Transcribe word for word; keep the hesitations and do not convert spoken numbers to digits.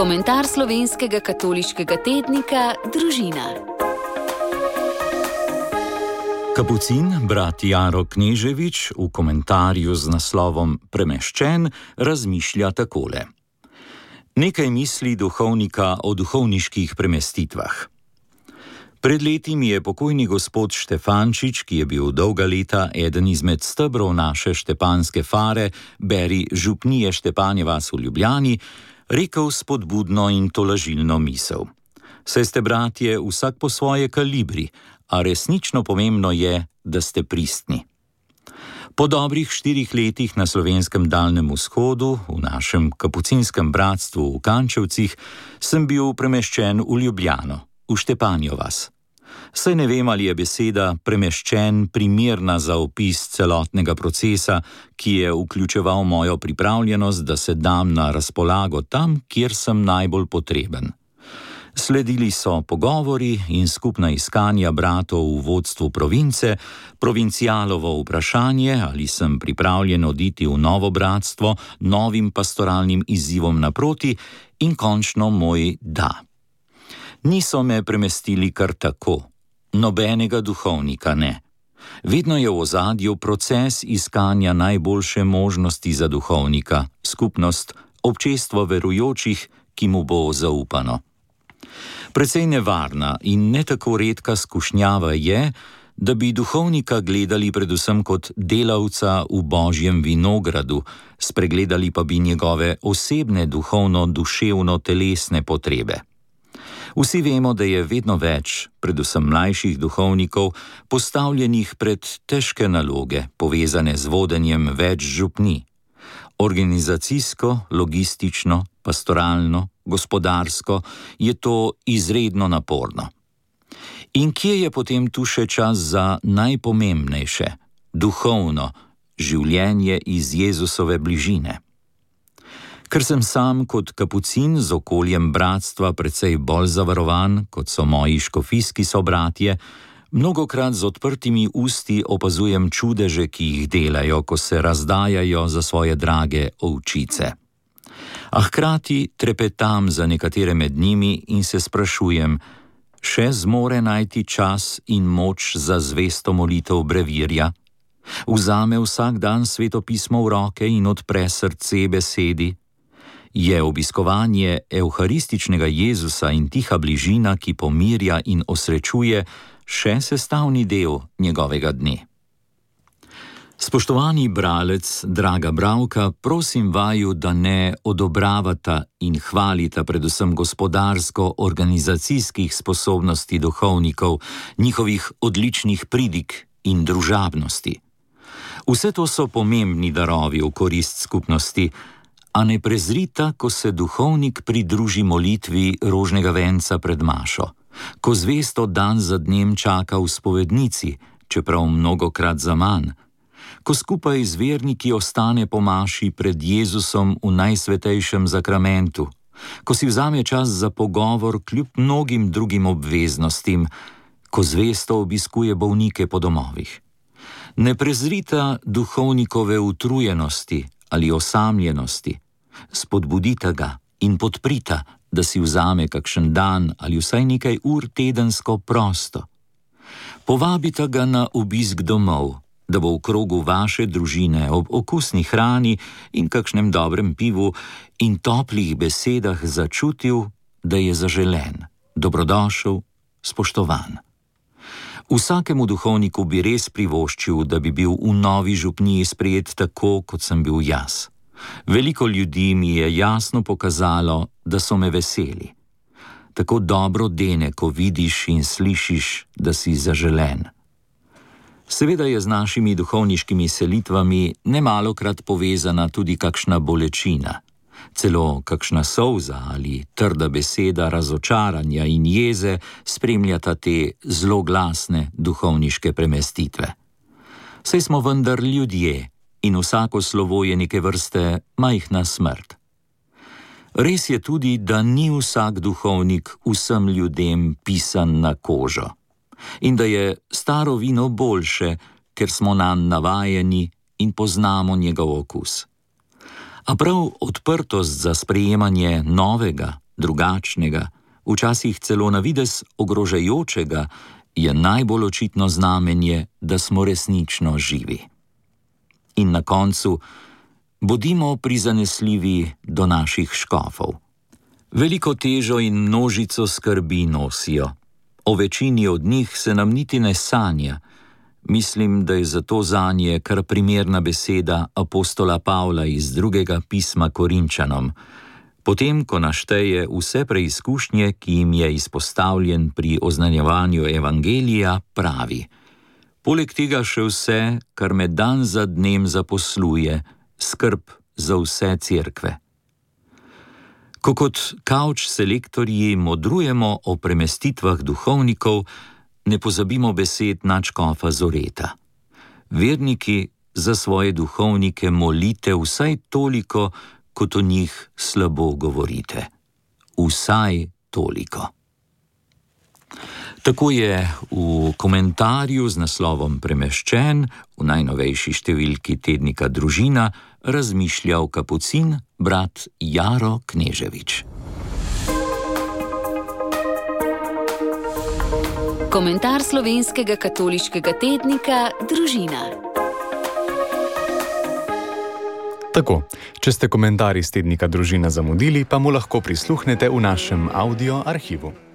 Komentar slovenskega katoliškega tednika Družina. Kapucin, brat Jaro Kneževič, v komentarju z naslovom Premeščen razmišlja takole. Nekaj misli duhovnika o duhovniških premestitvah. Pred leti mi je pokojni gospod Štefančič, ki je bil dolga leta eden izmed stebrov naše štepanske fare, beri župnije Štepanje vas v Ljubljani, rekel spodbudno in tolažilno misel. Saj ste, bratje, vsak po svoje kalibri, a resnično pomembno je, da ste pristni. Po dobrih štirih letih na slovenskem Daljnem vzhodu, v našem kapucinskem bratstvu v Kančevcih, sem bil premeščen v Ljubljano, v Štepanjo vas. Saj ne vem, ali je beseda premeščen primerna za opis celotnega procesa, ki je vključeval mojo pripravljenost, da se dam na razpolago tam, kjer sem najbolj potreben. Sledili so pogovori in skupna iskanja bratov v vodstvu province, provincialovo vprašanje, ali sem pripravljen oditi v novo bratstvo, novim pastoralnim izzivom naproti in končno moj da. Niso me premestili kar tako, nobenega duhovnika ne. Vedno je v ozadju proces iskanja najboljše možnosti za duhovnika, skupnost, občestvo verujočih, ki mu bo zaupano. Precej nevarna in ne tako redka skušnjava je, da bi duhovnika gledali predvsem kot delavca v Božjem vinogradu, spregledali pa bi njegove osebne duhovno-duševno-telesne potrebe. Vsi vemo, da je vedno več, predvsem mlajših duhovnikov, postavljenih pred težke naloge, povezane z vodenjem več župnij. Organizacijsko, logistično, pastoralno, gospodarsko je to izredno naporno. In kje je potem tu še čas za najpomembnejše, duhovno, življenje iz Jezusove bližine? Ker sem sam kot kapucin z okoljem bratstva precej bolj zavarovan, kot so moji škofijski sobratje, mnogokrat z odprtimi usti opazujem čudeže, ki jih delajo, ko se razdajajo za svoje drage ovčice. A hkrati trepetam za nekatere med njimi in se sprašujem, še zmore najti čas in moč za zvesto molitev brevirja? Vzame vsak dan Sveto pismo v roke in odpre srce besedi? Je obiskovanje evharističnega Jezusa in tiha bližina, ki pomirja in osrečuje, še sestavni del njegovega dne? Spoštovani bralec, draga bralka, prosim vaju, da ne odobravata in hvalita predvsem gospodarsko-organizacijskih sposobnosti duhovnikov, njihovih odličnih pridig in družabnosti. Vse to so pomembni darovi v korist skupnosti, a ne prezrita, ko se duhovnik pridruži molitvi rožnega venca pred mašo, ko zvesto dan za dnem čaka v spovednici, čeprav mnogokrat zaman, ko skupaj z verniki ostane po maši pred Jezusom v najsvetejšem zakramentu, ko si vzame čas za pogovor kljub mnogim drugim obveznostim, ko zvesto obiskuje bolnike po domovih. Ne prezrita duhovnikove utrujenosti ali osamljenosti, spodbudita ga in podprita, da si vzame kakšen dan ali vsaj nekaj ur tedensko prosto. Povabita ga na obisk domov, da bo v krogu vaše družine ob okusni hrani in kakšnem dobrem pivu in toplih besedah začutil, da je zaželen, dobrodošel, spoštovan. Vsakemu duhovniku bi res privoščil, da bi bil v novi župniji sprejet tako, kot sem bil jaz. Veliko ljudi mi je jasno pokazalo, da so me veseli. Tako dobro dene, ko vidiš in slišiš, da si zaželen. Seveda je z našimi duhovniškimi selitvami nemalokrat povezana tudi kakšna bolečina, celo kakšna solza ali trda beseda razočaranja in jeze spremljata te zloglasne duhovniške premestitve. Saj smo vendar ljudje in vsako slovo je neke vrste majhna smrt. Res je tudi, da ni vsak duhovnik vsem ljudem pisan na kožo in da je staro vino boljše, ker smo nanj navajeni in poznamo njegov okus. A prav odprtost za sprejemanje novega, drugačnega, včasih celo na videz ogrožajočega, je najbolj očitno znamenje, da smo resnično živi. In na koncu, bodimo prizanesljivi do naših škofov. Veliko težo in množico skrbi nosijo. O večini od njih se nam niti ne sanja. Mislim, da je zato zanje kar primerna beseda apostola Pavla iz drugega pisma Korinčanom. Potem, ko našteje vse preizkušnje, ki jim je izpostavljen pri oznanjevanju evangelija, pravi: poleg tega še vse, kar me dan za dnem zaposluje, skrb za vse cerkve. Ko kot kavč selektorji modrujemo o premestitvah duhovnikov, ne pozabimo besed nadškofa Zoreta. Verniki, za svoje duhovnike molite vsaj toliko, kot o njih slabo govorite. Vsaj toliko. Tako je v komentarju z naslovom Premeščen v najnovejši številki tednika Družina razmišljal kapucin brat Jaro Kneževič. Komentar slovenskega katoliškega tednika Družina. Tako, če ste komentar iz tednika Družina zamudili, pa mu lahko prisluhnete v našem audio arhivu.